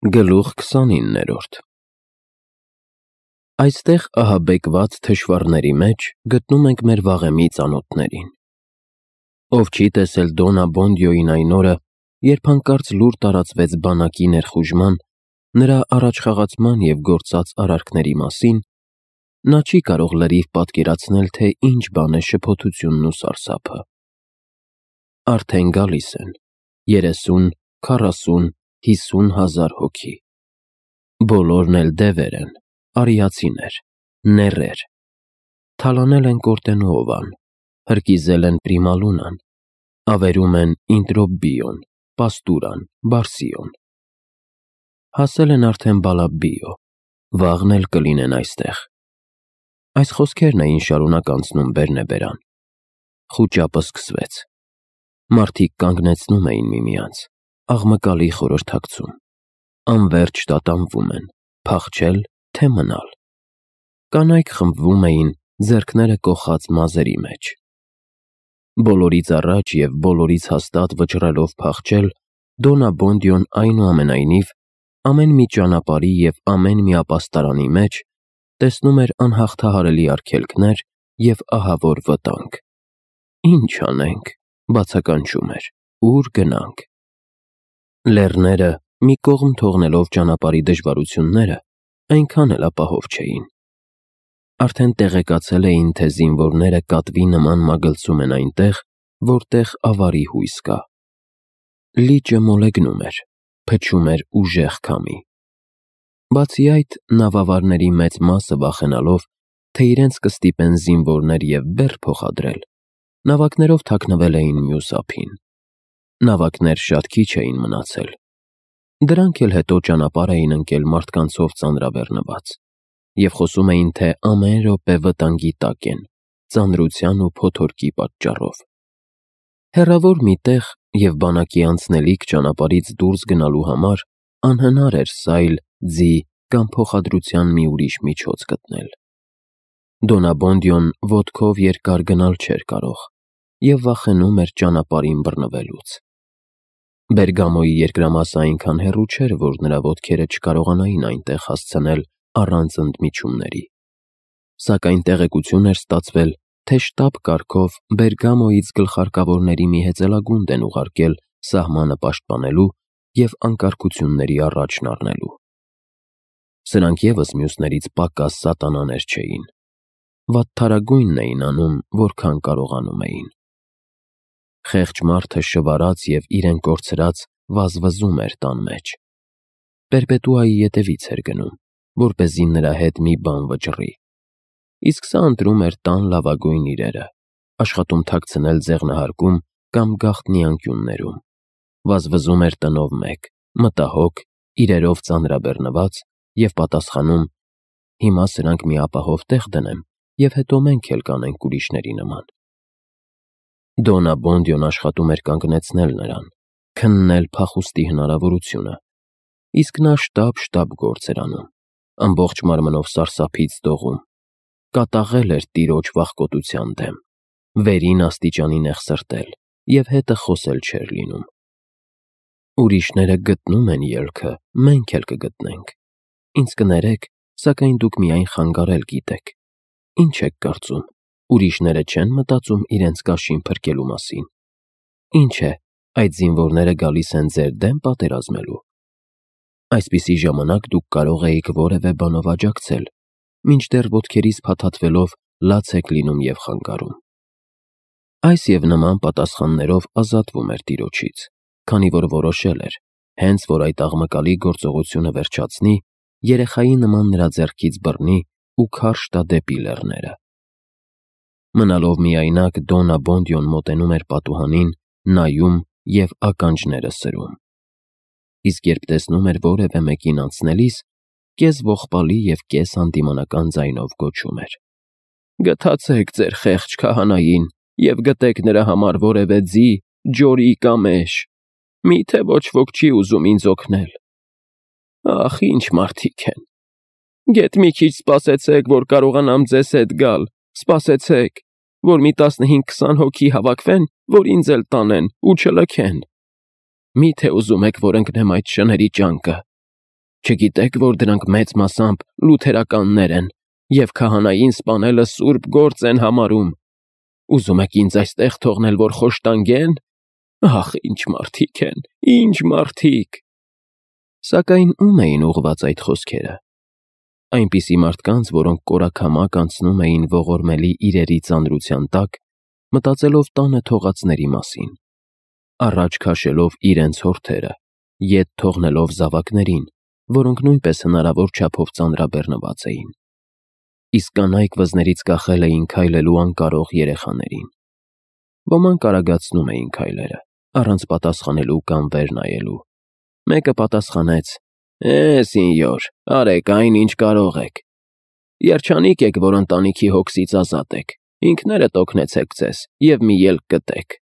Գլուխ 29-րդ Այստեղ ահաբեկված թշվառների մեջ գտնում ենք մեր վաղեմի ծանոթներին։ Ով չի տեսել Դոնա Բոնդիոյին այն օրը, երբ հանկարծ լուր տարածվեց բանակի ներխուժման, նրա առաջխաղացման և գործած արարքների մասին, նա չի կարող լրիվ պատկերացնել, թե ինչ բան է շփոթությունն ու սարսափը։ Արդեն գալիս են 30, 40, 50 հազար հոգի։ Բոլորն էլ դևեր են, արիացիներ, նեռեր։ Թալանել են Կորտենուովան, հրկիզել են Պրիմալունան, ավերում են Ինտրոբիոն, Պաստուրան, Բարսիոն։ Հասել են արդեն Բալաբիո, վաղն էլ կլինեն այստեղ։ Այս խոսքերն էին շարունակ անցնում բերնեբերան։ Խուճապը սկսվեց։ Մարդիկ կանգնեցնում էին միմյանց, աղմկալի խորհրդակցում, անվերջ տատանվում են, փախչել, թե մնալ։ Կանայք խմբվում էին, ձեռքները կոխած մազերի մեջ։ Բոլորից առաջ և բոլորից հաստատ վճռելով փախչել, Դոնա Բոնդիոն այնուամենայնիվ ամեն մի ճանապարհի և ամեն մի ապաստարանի մեջ տեսնում էր անհաղթահարելի արգելքներ և ահավոր վտանգ։ Ինչ անենք, բացականչում էր, ուր գնանք։ Լեռները, մի կողմ թողնելով ճանապարհի դժվարությունները, այնքան էլ ապահով չէին։ Արդեն տեղեկացել էին, թե զինվորները կատվի նման մագլցում են այնտեղ, որտեղ ավարի հույս կա։ Լիճը մոլեգնում էր, փչում էր ուժեղ քամի։ Բացի այդ, նավավարների մեծ մասը վախենալով, թե իրենց կստիպեն զինվորներ և բեռ փոխադրել, նավակներով թաքնվել էին մյուս ափին։ Նավակներ շատ քիչ էին մնացել։ Դրանք էլ հետո ճանապարհ էին ընկել մարդկանցով ծանրաբեռնված և խոսում էին, թե ամեն րոպե վտանգի տակ են, ծանրության ու փոթորկի պատճառով։ Հեռավոր մի տեղ և բանակի անցնելիք ճանապարհից դուրս գնալու համար անհնար էր սայլ, ձի կամ փոխադրության մի ուրիշ միջոց գտնել։ Դոնա Բոնդիոն ոտքով երկար գնալ չէր կարող և վախենում էր ճանապարհին բռնվելուց։ Բերգամոյի երկրամասը այնքան հեռու չէր, որ նրա ոտքերը չկարողանային այնտեղ հասցնել առանց ընդմիջումների։ Սակայն տեղեկություն էր ստացվել, թե շտաբ կարգով Բերգամոյից գլխարկավորների մի հեծելագունդ են ուղարկել սահմանը պաշտպանելու և անկարգությունների առաջն առնելու։ Սրանք ևս մյուսներից պակաս սատանաներ չէին։ Վատթարագույնն էին անում, որքան կարողանում էին։ Խեղճ մարդը շվարած և իրեն կորցրած վազվզում էր տան մեջ։ Պերպետուայի ետևից էր գնում, որպեսզի նրա հետ մի բան վճռի։ Իսկ սա ընտրում էր տան լավագույն իրերը, աշխատում թաքցնել ձեղնահարկում կամ գաղտնի անկյուններում։ Վազվզում էր տնով մեկ, մտահոգ, իրերով ծանրաբեռնված և պատասխանում. «Հիմա սրանք մի ապահով տեղ դնեմ, և հետո մենք էլ կանենք ուրիշների նման»։ Դոնա Բոնդիոն աշխատում էր կանգնեցնել նրան, քննել փախուստի հնարավորությունը, իսկ նա շտապ գործ էր անում, ամբողջ մարմնով սարսափից դողում, կատաղել էր տիրոջ վախկոտության դեմ, վերին աստիճանի նեղսրտել և հետը խոսել չէր լինում։ Ուրիշները գտնում են ելքը, մենք էլ կգտնենք։ Ինձ կներեք, սակայն դուք միայն խանգարել գիտեք։ Ինչ եք կարծում, ուրիշները չեն մտածում իրենց կաշին փրկելու մասին։ Ինչ է, այդ զինվորները գալիս են ձեր դեմ պատերազմելու։ Այսպիսի ժամանակ դուք կարող էիք որևէ բանով աջակցել, մինչդեռ ոտքերից փաթաթվելով լաց եք լինում և խանգարում։ Այս և նման պատասխաններով ազատվում էր տիրոջից, քանի որ որոշել էր, հենց որ այդ աղմկալի գործողությունը վերջացնի, երեխայի նման նրա ձեռքից բռնի ու քարշ տա դեպի լեռները։ Մնալով միայնակ, Դոնա Բոնդիոն մոտենում էր պատուհանին, նայում և ականջները սրում։ Իսկ երբ տեսնում էր որևէ մեկին անցնելիս, կես ողբալի և կես հանդիմանական ձայնով գոչում էր. «Գթացեք ձեր խեղճ քահանային և գտեք նրա համար որևէ ձի, ջորի կամ էշ։ Մի՞թե ոչ ոք չի ուզում ինձ օգնել։ Ախ, ինչ մարդիկ են։ Գեթ մի քիչ սպասեցեք, որ կարողանամ ձեզ հետ գալ, սպասեցեք, որ մի 15-20 հոգի հավաքվեն, որ ինձ էլ տանեն ու չլքեն։ Մի՞թե ուզում եք, որ ընկնեմ այդ շների ճանկը։ Չգիտեք, որ դրանք մեծ մասամբ լութերականներ են և քահանային սպանելը սուրբ գործ են համարում։ Ուզում եք ինձ այստեղ թողնել, որ խոշտանգեն։ Ախ, ինչ մարդիկ են, ինչ մարդիկ։ Սակայն ում էին ուղղված այդ խոսքերը։ Այնպիսի մարդկանց, որոնք կորաքամակ անցնում էին ողորմելի իրերի ծանրության տակ, մտածելով տանը թողածների մասին, առաջ քաշելով իրենց հորթերը, ետ թողնելով զավակներին, որոնք նույնպես հնարավոր չափով ծանրաբեռնված էին։ Իսկ կանայք վզներից կախել էին քայլելու անկարող երեխաներին։ Ոմանք արագացնում էին քայլերը, առանց պատասխանելու կամ վեր նայելու։ Մեկը պատասխանեց. սինյոր, արեք այն, ինչ կարող եք։ Երջանիկ եք, որ ընտանիքի հոգսից ազատ եք։ Ինքներդ օգնեցեք ձեզ և մի ելք գտեք։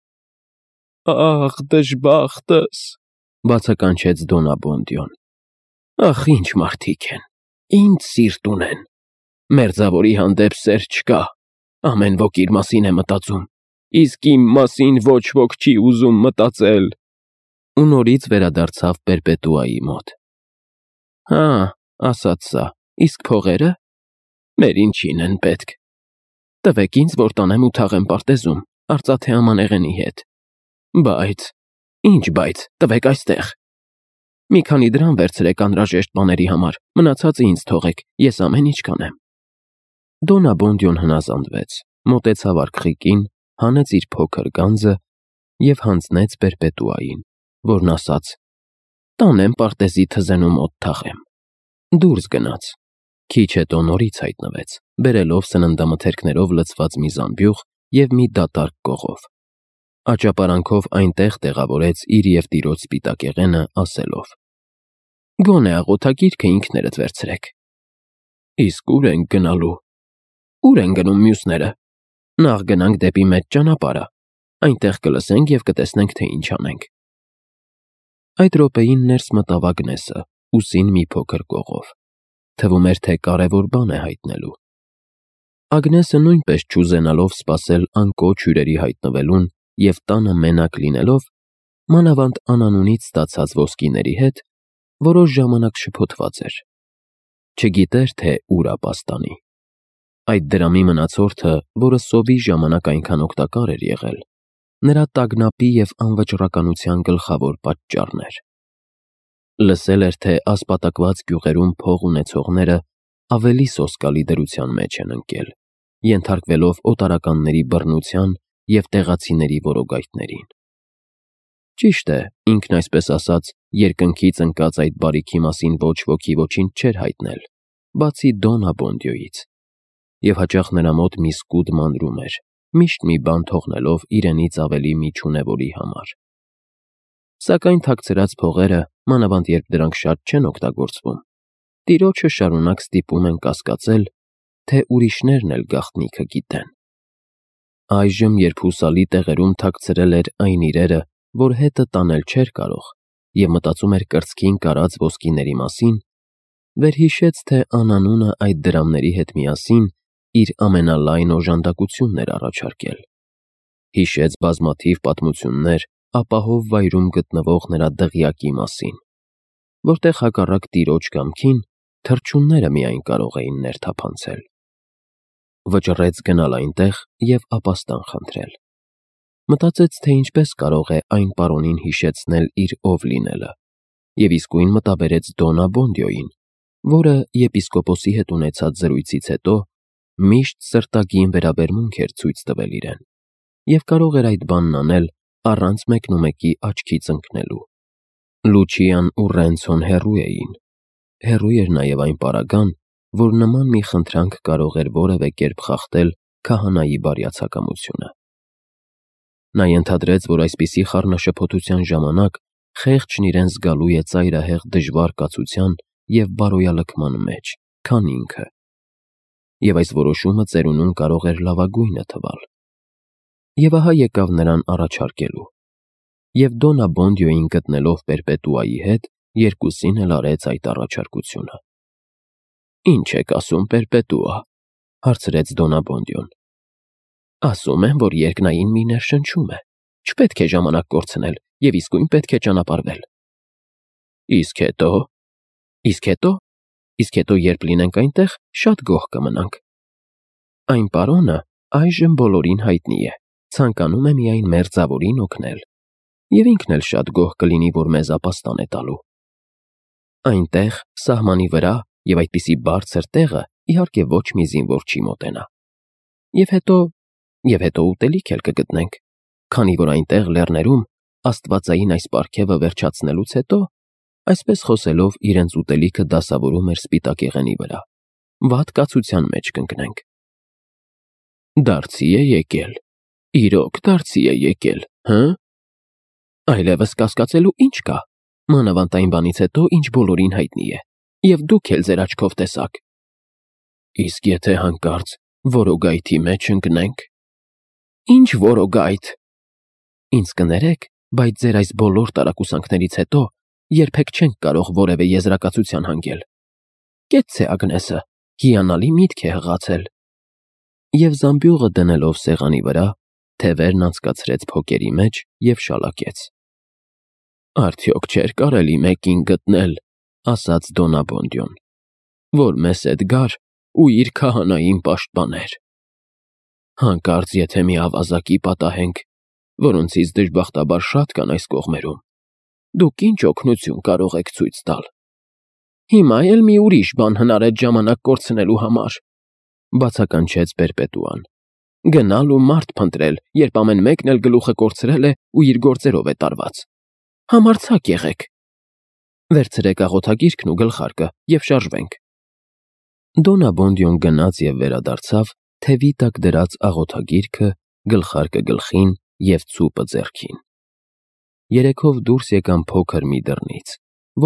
Ախ, դժբախտս, բացականչեց Դոնաբոնդյոն։ Ախ, ինչ մարդիկ են, ինչ սիրտ ունեն։ Մերձավորի հանդեպ սեր չկա, ամեն ոք իր մասին է մտածում, իսկ իմ մասին ոչ ոք չի ուզում մտածել։ Ու նորից վերադարձավ Պերպետուայի մոտ։ Հա, ասաց սա, իսկ փողերը։ Մեր ինչին են պետք։ Տվեք ինձ, որ տանեմ ու թաղեմ պարտեզում, արծաթե ամանեղենի հետ։ Բայց, ինչ բայց, տվեք այստեղ։ Մի քանի դրամ վերցրեք անհրաժեշտ բաների համար, մնացածը ինձ թողեք, ես ամեն ինչ կանեմ։ Դոնաբոնդյոն հնազանդվեց, մոտեցավ արքղիկին, հանեց իր փոքր գանձը և հանձնեց Պերպետուային, որն ասաց. տանեմ պարտեզի թզենում օդ թաղեմ։ Դուրս գնաց։ Քիչ հետո նորից հայտնվեց, բերելով սննդամթերքներով լցված մի զամբյուղ և մի դատարկ կողով։ Աճապարանքով այնտեղ տեղավորեց իր և տիրոջ սպիտակեղենը, ասելով. Գոնե աղոթագիրքը ինքներդ վերցրեք։ Իսկ ուր ենք գնալու։ Ուր են գնում մյուսները։ Նախ գնանք դեպի մեծ ճանապարհը, այնտեղ կլսենք և կտեսնենք, թե ինչ անենք։ Այդ րոպեին ներս մտավ Ագնեսը, ուսին մի փոքր կողով։ Թվում էր, թե կարևոր բան է հայտնելու։ Ագնեսը նույնպես չուզենալով սպասել անկոչ հյուրերի հայտնվելուն և տանը մենակ լինելով, մանավանդ անանունից ստացած ոսկիների հետ, որոշ ժամանակ շփոթված էր։ Չգիտեր, թե ուր ապաստանի։ Այդ դրամի մնացորդը, որը սովի ժամանակ այնքան օգտակար էր եղել, նրա տագնապի և անվճռականության գլխավոր պատճառն էր։ Լսել էր, թե ասպատակված գյուղերում փող ունեցողները ավելի սոսկալի դրության մեջ են ընկել, ենթարկվելով օտարականների բռնության և տեղացիների որոգայթներին։ Ճիշտ է, ինքն այսպես ասած, երկնքից ընկած այդ բարիքի մասին ոչ ոքի ոչինչ չէր հայտնել, բացի Դոնաբոնդյոյից, և հաճախ նրա մոտ մի սկուտ մանրում էր, միշտ մի բան թողնելով իրենից ավելի միջունևորի համար։ Սակայն թաքցրած փողերը, մանավանդ երբ դրանք շատ չեն օգտագործվում, տիրոջը շարունակ ստիպում են կասկածել, թե ուրիշներն էլ գաղտնիքը գիտեն։ Այժմ, երբ հուսալի տեղերում թաքցրել էր այն իրերը, որ հետը տանել չէր կարող, և մտածում էր կրծքին կարած ոսկիների մասին, վերհիշեց, թե անանունը այդ դրամների հետ միասին իր ամենալայն օժանդակությունն էր առաջարկել։ Հիշեց բազմաթիվ պատմություններ ապահով վայրում գտնվող նրա դղյակի մասին, որտեղ հակառակ տիրոջ կամքին թռչունները միայն կարող էին ներթափանցել։ Վճռեց գնալ այնտեղ և ապաստան խնդրել։ Մտածեց, թե ինչպես կարող է այն պարոնին հիշեցնել իր ով լինելը, և իսկույն մտաբերեց Դոնաբոնդյոյին, որը եպիսկոպոսի հետ ունեցած զրույցից հետո միշտ սրտագին վերաբերմունք էր ցույց տվել իրեն, և կարող էր այդ բանն անել առանց մեկնումեկի աչքից ընկնելու։ Լուչիան ու Ռենցոն հեռու էին։ Հեռու էր նաև այն պարագան, որ նման մի խնդրանք կարող էր որևէ կերպ խախտել քահանայի բարյացակամությունը։ Նա ենթադրեց, որ այսպիսի խառնաշփոթության ժամանակ խեղճն իրեն զգալու է ծայրահեղ դժվար կացության և բարոյալքման մեջ, քան ինքը, և այս որոշումը ծերունում կարող էր լավագույնը թվալ։ Եվ ահա եկավ նրան առաջարկելու։ Եվ Դոնաբոնդյոյին գտնելով Պերպետուայի հետ, երկուսին էլ արեց այդ առաջարկությունը։ Ինչ եք ասում, Պերպետուա, հարցրեց Դոնաբոնդյոն։ Ասում եմ, որ երկնային մի ներշնչում է, չպետք է ժամանակ կորցնել և իսկույն պետք է ճանապարհվել։ Իսկ հետո։ Իսկ հետո երբ լինենք այնտեղ, շատ գոհ կմնանք։ Այն պարոնը այժմ բոլորին հայտնի է, ցանկանում է միայն մերձավորին օգնել, և ինքն էլ շատ գոհ կլինի, որ մեզ ապաստան է տալու։ Այնտեղ, սահմանի վրա և այդպիսի բարձր տեղը, իհարկե ոչ մի զինվոր չի մոտենա։ Եվ հետո ուտելիք էլ կգտնենք, քանի որ այնտեղ լեռներում աստվածային այս պարգևը վերջացնելուց հետո, այսպես խոսելով իրենց ուտելիքը դասավորում էր սպիտակեղենի վրա, վատ կացության մեջ կընկնենք։ Դարձի է եկել, իրոք դարձի է եկել, հը՞։ Այլևս կասկածելու ինչ կա, մանավանդ այն բանից հետո, ինչ բոլորին հայտնի է, և դուք էլ ձեր աչքով տեսաք։ Իսկ եթե հանկարծ որոգայթի մեջ ընկնենք։ Ինչ որոգայթ։ Ինձ կներեք, բայց ձեր այս բոլոր տարակուսանքներից հետո երբեք չենք կարող որևէ եզրակացության հանգել։ Կեցցե Ագնեսը, հիանալի միտք է հղացել։ Եվ զամբյուղը դնելով սեղանի վրա, թևերն անցկացրեց փոկերի մեջ և շալակեց։ Արդյոք չէր կարելի մեկին գտնել, ասաց Դոնաբոնդյոն, որ մեզ հետ գար ու իր քահանային պաշտպաներ։ Հանկարծ եթե մի ավազակի պատահենք, որոնցից դժբախտաբար շատ կան այս կողմերում, դուք ինչ օգնություն կարող եք ցույց տալ։ Հիմա էլ մի ուրիշ բան հնարեց ժամանակ կորցնելու համար, բացականչեց Պերպետուան։ Գնալ ու մարդ փնտրել, երբ ամեն մեկն էլ գլուխը կորցրել է ու իր գործերով է տարված։ Համարձակ եղեք։ Վերցրեք աղոթագիրքն ու գլխարկը և շարժվենք։ Դոնաբոնդյոն գնաց և վերադարձավ թևի տակ դրած աղոթագիրքը, գլխարկը գլխին և ցուպը ձեռքին։ Երեքով դուրս եկան փոքր մի դռնից,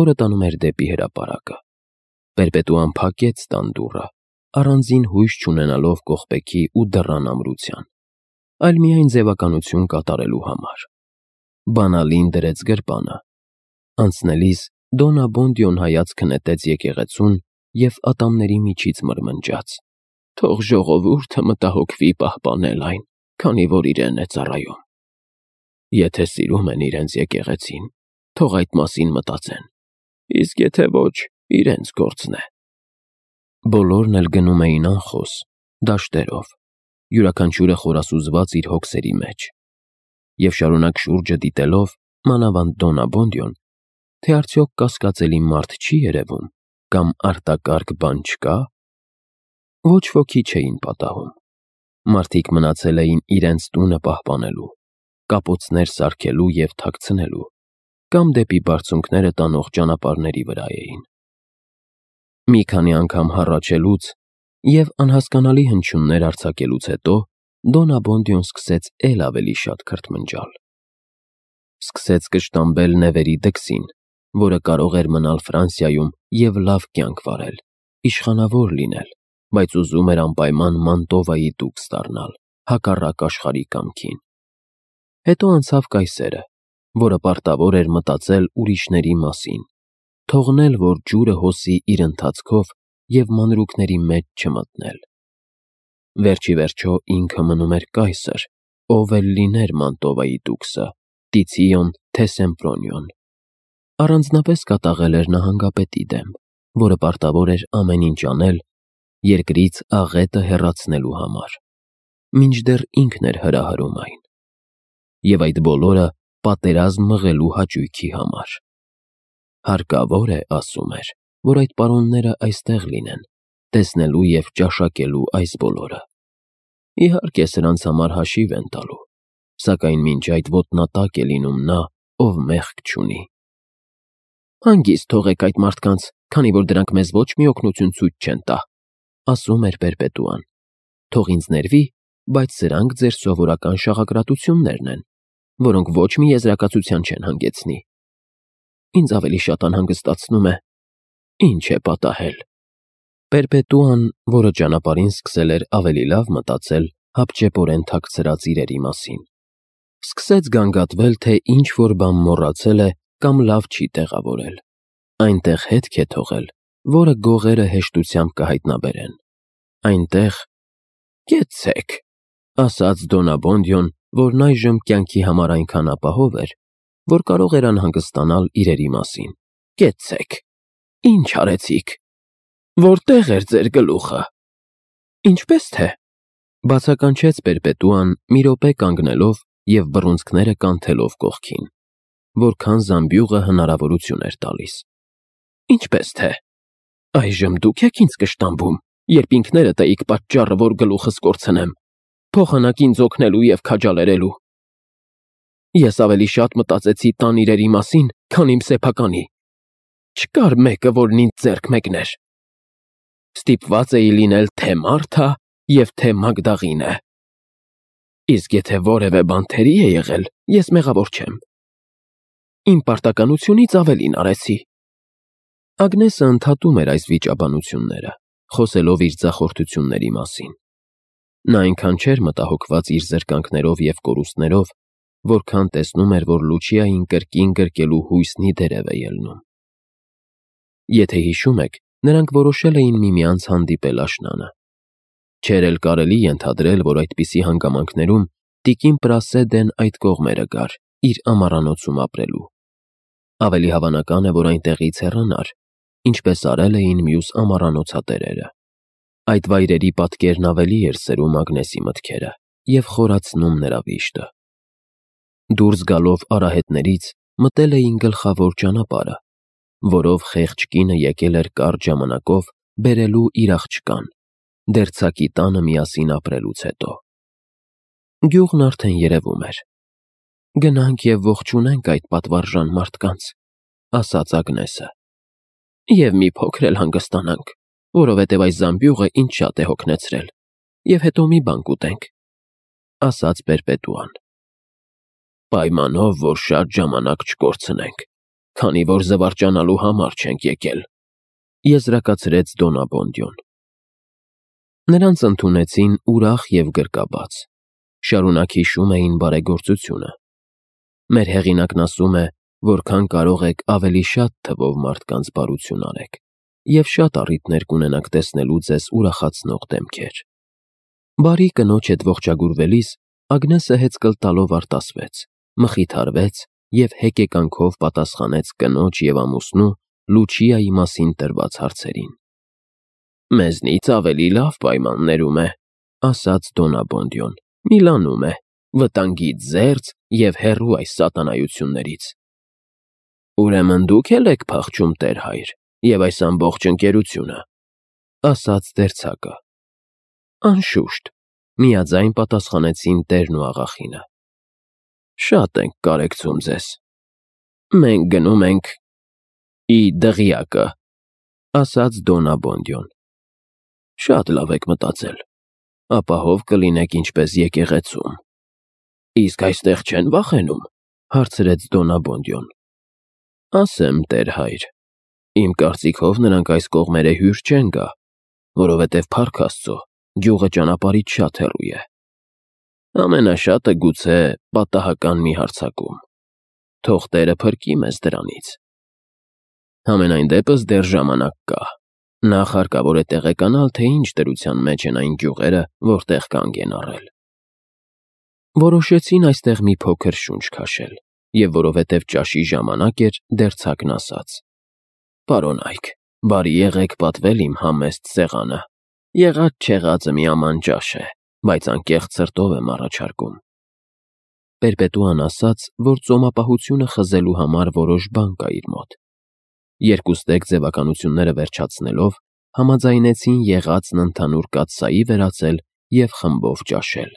որը տանում էր դեպի հրապարակը։ Պերպետուան փակեց տան դուռը, առանձին հույս չունենալով կողպեքի ու դռան ամրության, այլ միայն ձևականություն կատարելու համար։ Բանալին դրեց գրպանը։ Անցնելիս Դոնաբոնդյոն հայացքը նետեց եկեղեցուն և ատամների միջից մրմնջաց. Թող ժողովուրդը մտահոգվի պահպանել այն, քանի որ իրեն է ծառայում։ Եթե սիրում են իրենց եկեղեցին, թող այդ մասին մտածեն, իսկ եթե ոչ, իրենց գործն է։ Բոլորն էլ գնում էին անխոս, դաշտերով, յուրաքանչյուրը խորասուզված իր հոգսերի մեջ, և շարունակ շուրջը դիտելով, մանավանդ Դոնաբոնդյոն, թե արդյոք կասկածելի մարդ չի երևում կամ արտակարգ բան չկա։ Ոչ ոքի չէին պատահում։ Մարդիկ մնացել էին իրենց տունը պահպանելու, կապոցներ սարքելու և թաքցնելու, կամ դեպի բարձունքները տանող ճանապարհների վրա էին։ Մի քանի անգամ հառաչելուց և անհասկանալի հնչյուններ արձակելուց հետո Դոնաբոնդյոն սկսեց էլ ավելի շատ քրթմնջալ։ Սկսեց կշտամբել նեվերի դքսին, որը կարող էր մնալ Ֆրանսիայում և լավ կյանք վարել, իշխանավոր լինել, բայց ուզում էր անպայման Մանտովայի դուքս դառնալ, հակառակ աշխարհի կամքին։ Հետո անցավ կայսերը, որը պարտավոր էր մտածել ուրիշների մասին, թողնել, որ ջուրը հոսի իր ընթացքով և մանրուքների մեջ չմտնել։ Վերջիվերջո ինքը մնում էր կայսր, ով էլ լիներ Մանտովայի դուքսը, Տիցիոն թե Սեմպրոնիոն։ Առանձնապես կատաղել էր նահանգապետի դեմ, որը պարտավոր էր ամեն ինչ անել երկրից աղետը հեռացնելու համար, մինչդեռ ինքն էր հրահրում այն։ Եվ այդ բոլորը պատերազմ մղելու հաճույքի համար։ Հարկավոր է, ասում էր, որ այդ պարոնները այստեղ լինեն, տեսնելու և ճաշակելու այս բոլորը։ Իհարկե սրանց համար հաշիվ են տալու, սակայն մինչ այդ ոտնատակ է լինում նա, ով մեղք չունի։ Հանգիստ թողեք այդ մարդկանց, քանի որ դրանք մեզ ոչ մի օգնություն ցույց չեն տա, ասում էր Պերպետուան։ Թող ինձ ներվի, բայց սրանք ձեր սովորական շաղակրատություններն են, որոնք ոչ մի եզրակացության չեն հանգեցնի։ Ինձ ավելի շատ անհանգստացնում է, ինչ է պատահել։ Պերպետուան, որը ճանապարհին սկսել էր ավելի լավ մտածել հապճեպորեն թաքցրած իրերի մասին, սկսեց գանգատվել, թե ինչ-որ բան մոռացել է կամ լավ չի տեղավորել։ Այնտեղ հետք է թողել, որը գողերը հեշտությամբ կհայտնաբերեն։ Այնտեղ կեցցեք, ասաց Դոնաբոնդյոն, որն այժմ կյանքի համար այնքան ապահով էր, որ կարող էր անհանգստանալ իրերի մասին։ Կեցցեք։ Ինչ արեցիք։ Որտեղ էր ձեր գլուխը։ Ինչպես թե։ Բացականչեց Պերպետուան մի րոպե կանգնելով և բռունցքները կանթելով կողքին, որքան զամբյուղը հնարավորություն էր տալիս։ Ինչպես թե։ Այժմ դուք եք ինձ կշտամբում, երբ ինքներդ էիք պատճառը, որ գլուխս կորցնեմ, փոխանակ ինձ օգնելու և քաջալերելու։ Ես ավելի շատ մտածեցի տան իրերի մասին, քան իմ սեփականի։ Չկար մեկը, որն ինձ ձեռք մեկներ։ Ստիպված էի լինել թե Մարթա և թե Մագդաղինը։ Իսկ եթե որևէ բան թերի է եղել, ես մեղավոր չեմ։ Իմ պարտականությունից ավելին արեցի։ Ագնեսը ընդհատում էր այս վիճաբանությունները, խոսելով իր ձախորդությունների մասին։ Նա այնքան չէր մտահոգված իր զրկանքներով և կորուստներով, որքան տեսնում էր, որ Լուչիային կրկին գրկելու հույսն ի դերև է ելնում։ Եթե հիշում եք, նրանք որոշել էին միմյանց հանդիպել աշնանը։ Չէր էլ կարելի ենթադրել, որ այդպիսի հանգամանքներում տիկին Պրասեդեն այդ կողմերը գար, իր ամառանոցում ապրելու։ Ավելի հավանական է, որ այնտեղից հեռանար, ինչպես արել էին մյուս ամառանոցատերերը։ Այդ վայրերի պատկերն ավելի էր սերում Ագնեսի մտքերը և խորացնում նրա վիշտը։ Դուրս գալով արահետներից մտել էին գլխավոր ճանապարհը, որով խեղճ կինը եկել էր կարճ ժամանակով բերելու իր աղջկան, դերձակի տանը միասին ապրելուց հետո։ Գյուղն արդեն երևում էր։ Գնանք և ողջունենք այդ պատվարժան մարդկանց, ասաց Ագնեսը։ Եվ մի փոքր էլ հանգստանանք, որովհետև այս զամբյուղը ինձ շատ է հոգնեցրել, և հետո մի բան կուտենք, ասաց Պերպետուան։ Պայմանով, որ շատ ժամանակ չկորցնենք, քանի որ զվարճանալու համար չենք եկել, եզրակացրեց Դոնաբոնդյոն։ Նրանց ընդունեցին ուրախ և գրկաբաց, շարունակ հիշում էին բարեգործությունը։ Մեր հեղինակն ասում է, որքան կարող եք ավելի շատ թվով մարդկանց բարություն արեք, և շատ առիթներ կունենաք տեսնելու ձեզ ուրախացնող դեմքեր։ Բարի կնոջ հետ ողջագուրվելիս Ագնեսը հեծկլ տալով արտասվեց, մխիթարվեց և հեկեկանքով պատասխանեց կնոջ և ամուսնու Լուչիայի մասին տրված հարցերին։ Մեզնից ավելի լավ պայմաններում է, ասաց Դոնաբոնդյոն, Միլանում է, վտանգից զերծ և հեռու այս սատանայություններից։ Ուրեմն դուք էլ եք փախչում, տեր հայր, և այս ամբողջ ընկերությունը, ասաց դերձակը։ Անշուշտ, միաձայն պատասխանեցին տերն ու աղախինը։ Շատ ենք կարեկցում ձեզ։ Մենք գնում ենք ի դղյակը, ասաց Դոնաբոնդյոն։ Շատ լավ եք մտածել, ապահով կլինեք ինչպես եկեղեցում։ Իսկ այստեղ չեն վախենում, հարցրեց Դոնաբոնդյոն։ Ասեմ, տեր հայր, իմ կարծիքով նրանք այս կողմերը հյուր չեն գա, որովհետև փառք Աստծո, գյուղը ճանապարհից շատ հեռու է։ Ամենաշատը գուցե պատահական մի հարձակում։ Թող Տերը փրկի մեզ դրանից։ Համենայն դեպս դեռ ժամանակ կա։ Նախ հարկավոր է տեղեկանալ, թե ինչ դրության մեջ են այն գյուղերը, որտեղ կանգ են առել։ Որոշեցին այստեղ մի փոքր շունչ քաշել, և որովհետև ճաշի ժամանակ էր, դերձակն ասաց. Պարոն Այք, բարի եղեք պատվել իմ համեստ սեղանը։ Եղած-չեղածը մի աման ճաշ է, բայց անկեղծ սրտով եմ առաջարկում։ Պերպետուան ասաց, որ ծոմապահությունը խզելու համար որոշ բան կա իր մոտ։ Երկուստեք ձևականությունները վերջացնելով, համաձայնեցին եղածն ընդհանուր կաթսայի վերածել և խմբով ճաշել։